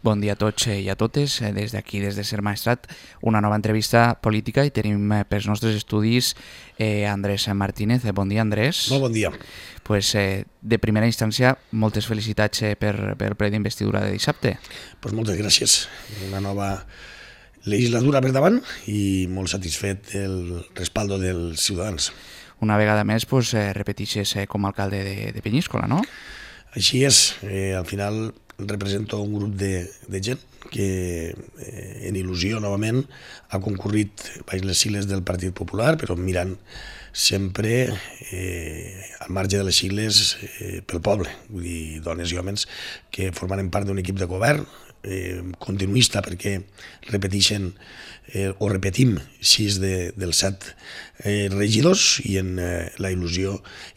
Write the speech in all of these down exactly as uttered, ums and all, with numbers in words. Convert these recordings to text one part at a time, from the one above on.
Bon dia a tots i a totes. Des d'aquí, des de Ser Maestrat, una nova entrevista política i tenim pels nostres estudis eh, Andrés Martínez. Bon dia, Andrés. Molt bon dia. Pues, eh, de primera instància, moltes felicitats eh, per, per el ple d'investidura de dissabte. Pues moltes gràcies. Una nova legislatura per davant i molt satisfet del respaldo dels ciutadans. Una vegada més, pues, eh, repetixes eh, com a alcalde de, de Penyíscola, no? Així és. Eh, al final represento un grup de, de gent que eh, en il·lusió novament ha concurrit baix les sigles del Partit Popular, però mirant sempre eh, al marge de les sigles eh, pel poble, vull dir, dones i homes que formaran part d'un equip de govern eh, continuista, perquè repeteixen eh, o repetim sis de, dels set eh, regidors i en eh, la il·lusió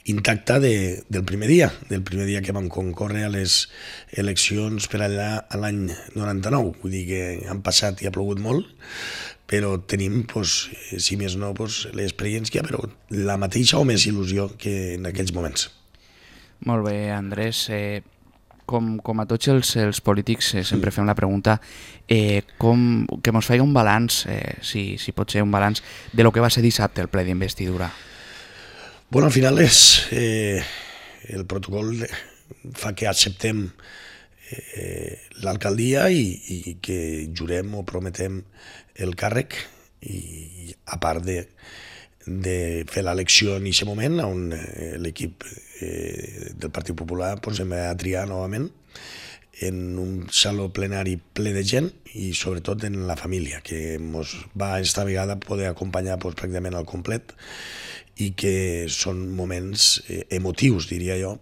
intacta de, del primer dia, del primer dia que vam concórrer a les eleccions per allà a l'any noranta-nou. Vull dir que han passat i ha plogut molt, però tenim, pues, si més no, pues, l'experiència, però la mateixa o més il·lusió que en aquells moments. Molt bé, Andrés. Eh, com, com a tots els, els polítics eh, sempre fem la pregunta eh, com, que ens faci un balanç, eh, si, si pot ser un balanç, de lo que va ser dissabte el ple d'investidura. Bueno, al final és, eh, el protocol fa que acceptem eh, l'alcaldia i, i que jurem o prometem el càrrec, i a part de, de fer l'elecció en aquest moment on eh, l'equip eh, del Partit Popular pues, em va triar novament en un saló plenari ple de gent i sobretot en la família, que ens va esta vegada poder acompanyar pues, pràcticament al complet i que són moments eh, emotius, diria jo.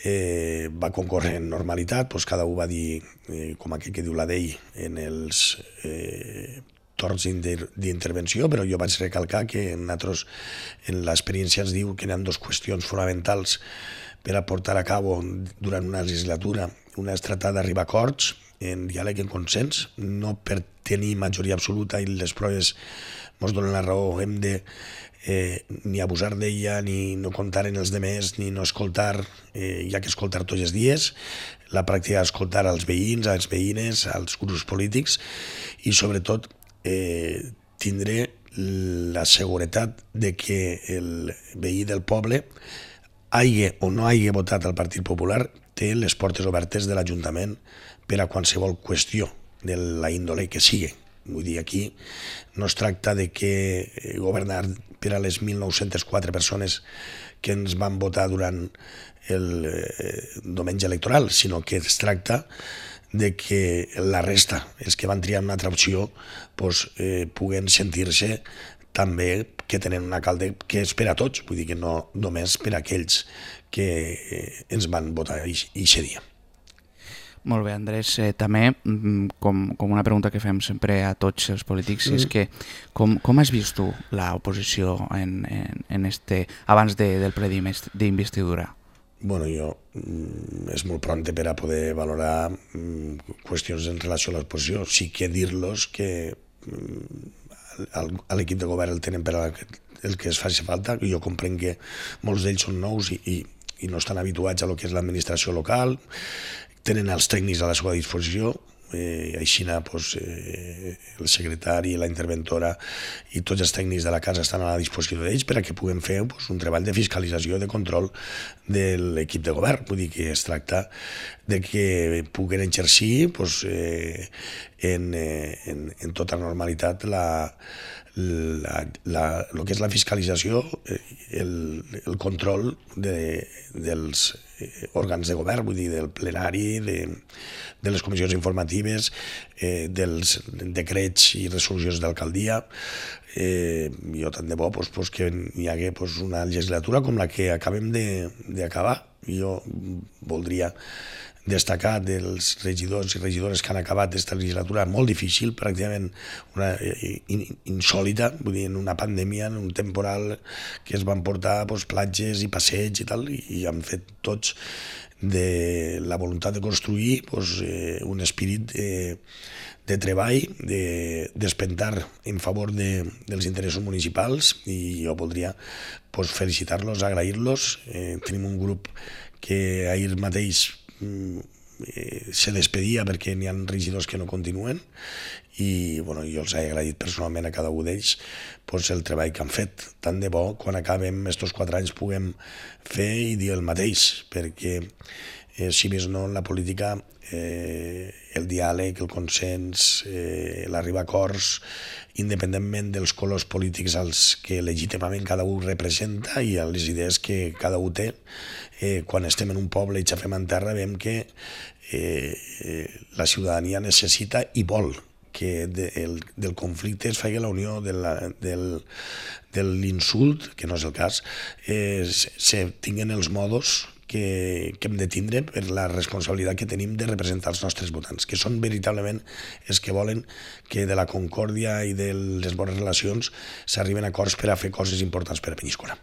Eh, va concórrer en normalitat, pues, cada un va dir, eh, com aquell que diu la d'ell, en els eh, torns d'intervenció, però jo vaig recalcar que nosaltres en l'experiència ens diu que hi ha dues qüestions fonamentals per a portar a cabo durant una legislatura. Una és tratar d'arribar a acords en diàleg, en consens, no per tenir majoria absoluta i les proves ens donen la raó, hem de eh, ni abusar d'ella, ni no comptar en els demés, ni no escoltar, eh, hi ha que escoltar tots els dies, la pràctica d'escoltar als veïns, als veïnes, als grups polítics i sobretot eh, tindré la seguretat de que el veí del poble hagi o no hagi votat al Partit Popular té les portes obertes de l'Ajuntament per a qualsevol qüestió de la índole que sigui. Vull dir, aquí no es tracta de que governar per a les mil nou-centes quatre persones que ens van votar durant el eh, diumenge electoral, sinó que es tracta de que la resta, els que van triar una altra opció, pues, eh, puguen sentir-se també que tenen un alcalde que és per a tots, vull dir que no només per a aquells que eh, ens van votar aquest dia. Molt bé, Andrés. Eh, també, com, com una pregunta que fem sempre a tots els polítics, mm. és que com, com has vist tu l'oposició en, en, en este, abans de, del ple d'investidura? Bueno, jo, és molt pronte per a poder valorar qüestions en relació a l'oposició. Sí que dir-los que a l'equip de govern el tenen per a el que es faci falta. Jo comprenc que molts d'ells són nous i, i, i no estan habituats a lo que és l'administració local, tenen els tècnics a la seva disposició, eh, així pues, eh, el secretari, la interventora i tots els tècnics de la casa estan a la disposició d'ells per a que puguem fer pues, un treball de fiscalització i de control de l'equip de govern. Vull dir que es tracta de que puguen exercir pues, eh, en, eh, en, en tota normalitat la, la, la, el que és la fiscalització, el, el control de, dels òrgans de govern, vull dir, del plenari, de, de les comissions informatives, eh, dels decrets i resolucions d'alcaldia. Eh, jo tant de bo pues, pues, que hi hagi pues, una legislatura com la que acabem d'acabar. Jo voldria destacar dels regidors i regidores que han acabat aquesta legislatura molt difícil, pràcticament una, in, insòlita, vull dir, en una pandèmia, en un temporal que es van portar pues, platges i passeig i tal, i, i han fet tots de la voluntat de construir pues, eh, un espírit eh, de treball, de despentar en favor de, dels interessos municipals, i jo voldria pues, felicitar-los, agrair-los. Eh, tenim un grup que ahir mateix eh, se despedia perquè n'hi ha regidors que no continuen i bueno, jo els he agraït personalment a cada un d'ells pues, el treball que han fet. Tant de bo, quan acabem aquests quatre anys puguem fer i dir el mateix, perquè eh, si més no en la política eh, el diàleg, el consens, eh, l'arribar a acords, independentment dels colors polítics als que legítimament cada un representa i a les idees que cada un té, eh, quan estem en un poble i xafem en terra veiem que eh, eh, la ciutadania necessita i vol que de, el, del conflicte es faci la unió de la, del, de l'insult, que no és el cas, eh, se, se tinguen els modos que, que hem de tindre per la responsabilitat que tenim de representar els nostres votants, que són veritablement els que volen que de la concòrdia i de les bones relacions s'arriben a acords per a fer coses importants per a Penyíscola.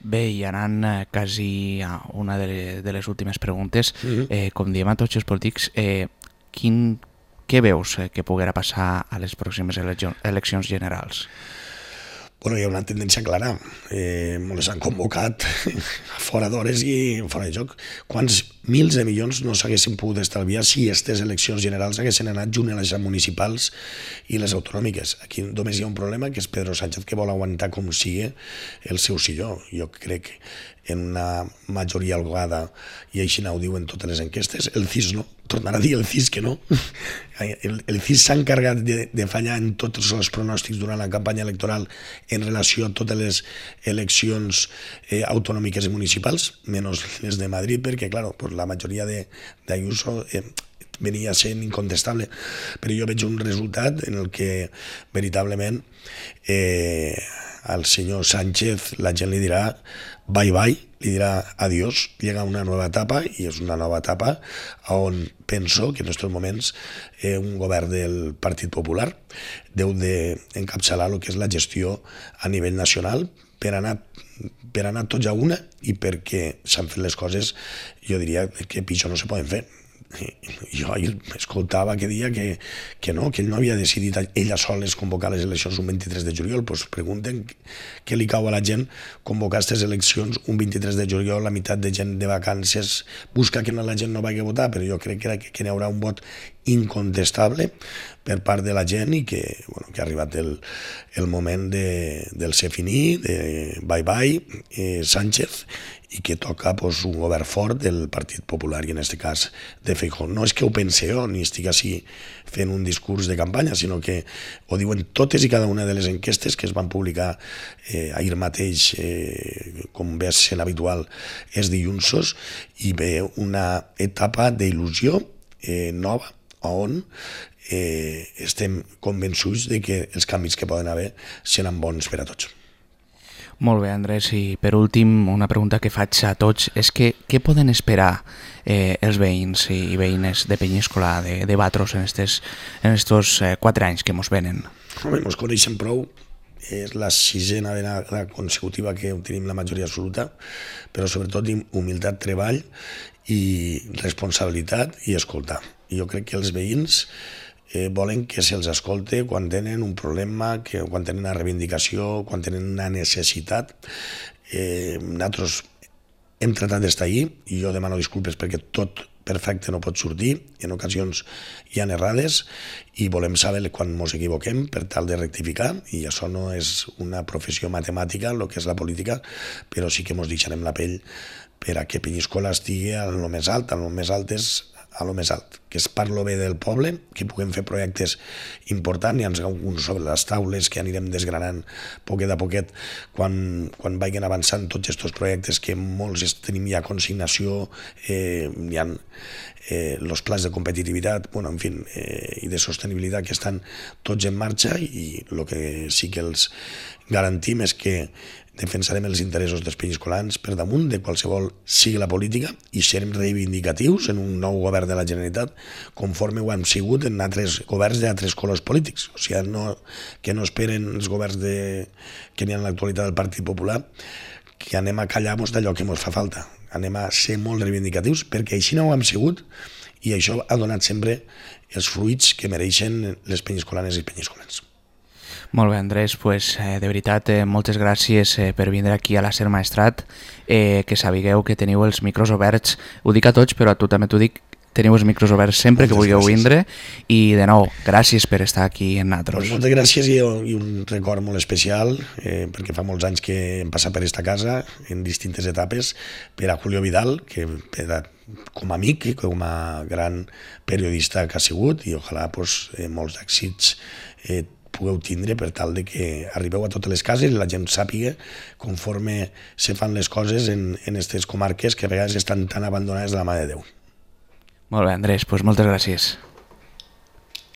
Bé, i anant eh, quasi a una de, de les últimes preguntes, mm-hmm. eh, com diem a tots els polítics, eh, quin, què veus eh, que poguera passar a les pròximes eleccions generals? Bueno, hi ha una tendència clara. Eh, les han convocat fora d'hores i fora de joc. Quants mils de milions no s'haguessin pogut estalviar si aquestes eleccions generals haguessin anat junt a les municipals i les autonòmiques? Aquí només hi ha un problema, que és Pedro Sánchez, que vol aguantar com sigui el seu silló. Jo crec que en una majoria holgada, i així ho diuen totes les enquestes, el C I S no, tornarà a dir el C I S que no. El, el C I S s'ha encarregat de, de fallar en tots els pronòstics durant la campanya electoral en relació a totes les eleccions eh, autonòmiques i municipals, menys les de Madrid, perquè, clar, pues la majoria d'Ayuso eh, venia sent incontestable. Però jo veig un resultat en el que veritablement eh, al senyor Sánchez la gent li dirà bye bye, li dirà adiós, llega una nova etapa, i és una nova etapa on penso que en aquests moments eh, un govern del Partit Popular deu d'encapçalar el que és la gestió a nivell nacional per anar, per anar tots a una i perquè s'han fet les coses, jo diria que pitjor no se poden fer. Jo ahir escoltava que dia que, que no, que ell no havia decidit ella soles convocar les eleccions un vint-i-tres de juliol. Doncs pregunten què li cau a la gent convocar aquestes eleccions un vint-i-tres de juliol, la meitat de gent de vacances, busca que la gent no vagi a votar, però jo crec que, que, que n'hi haurà un vot incontestable per part de la gent i que, bueno, que ha arribat el, el moment de, del ser finí, de bye bye, eh, Sánchez, i que toca pues, un govern fort del Partit Popular i en aquest cas de Feijóo. No és que ho pense jo ni estic així fent un discurs de campanya, sinó que ho diuen totes i cada una de les enquestes que es van publicar eh, ahir mateix, eh, com ve sent habitual, és dilluns, i ve una etapa d'il·lusió eh, nova on eh, estem convençuts de que els canvis que poden haver seran bons per a tots. Molt bé, Andrés, i per últim una pregunta que faig a tots és que què poden esperar eh, els veïns i veïnes de Penyíscola de, de Batros en estos, en estos eh, quatre anys que mos venen? Home, mos coneixen prou, és la sisena vegada consecutiva que tenim la majoria absoluta, però sobretot humilitat, treball i responsabilitat i escoltar. I jo crec que els veïns Eh, volen que se'ls escolte quan tenen un problema, que, quan tenen una reivindicació, quan tenen una necessitat. Eh, nosaltres hem tratat d'estar allí i jo demano disculpes perquè tot perfecte no pot sortir, en ocasions hi ha errades i volem saber quan ens equivoquem per tal de rectificar, i això no és una professió matemàtica, el que és la política, però sí que ens deixarem la pell per a que Penyíscola estigui a lo més alt, a lo més alt és a lo més alt, que es parlo bé del poble, que puguem fer projectes importants, hi ha alguns sobre les taules que anirem desgranant poquet a poquet quan, quan vagin avançant tots aquests projectes que molts tenim ja consignació, eh, hi ha eh, els plans de competitivitat, bueno, en fi, eh, i de sostenibilitat que estan tots en marxa, i el que sí que els garantim és que defensarem els interessos dels penyiscolans per damunt de qualsevol sigui la política i serem reivindicatius en un nou govern de la Generalitat conforme ho hem sigut en altres governs d'altres colors polítics. O sigui, no, que no esperen els governs de, que n'hi ha en l'actualitat del Partit Popular que anem a callar-nos d'allò que ens fa falta. Anem a ser molt reivindicatius perquè així no ho hem sigut i això ha donat sempre els fruits que mereixen les penyiscolanes i penyiscolans. Molt bé, Andrés, pues, eh, de veritat, eh, moltes gràcies eh, per vindre aquí a la Ser Maestrat, eh, que sabigueu que teniu els micros oberts, ho dic a tots, però a tu també t'ho dic, teniu els micros oberts sempre Moltes que vulgueu gràcies. vindre, i de nou, gràcies per estar aquí en Natros. Pues moltes gràcies i, i un record molt especial, eh, perquè fa molts anys que hem passat per esta casa en distintes etapes, per a Julio Vidal, que per a, com a amic, com a gran periodista que ha sigut, i ojalà pues, eh, molts èxits eh, pugueu tindre per tal de que arribeu a totes les cases i la gent sàpiga conforme se fan les coses en aquestes comarques que a vegades estan tan abandonades de la mà de Déu. Molt bé, Andrés, doncs moltes gràcies.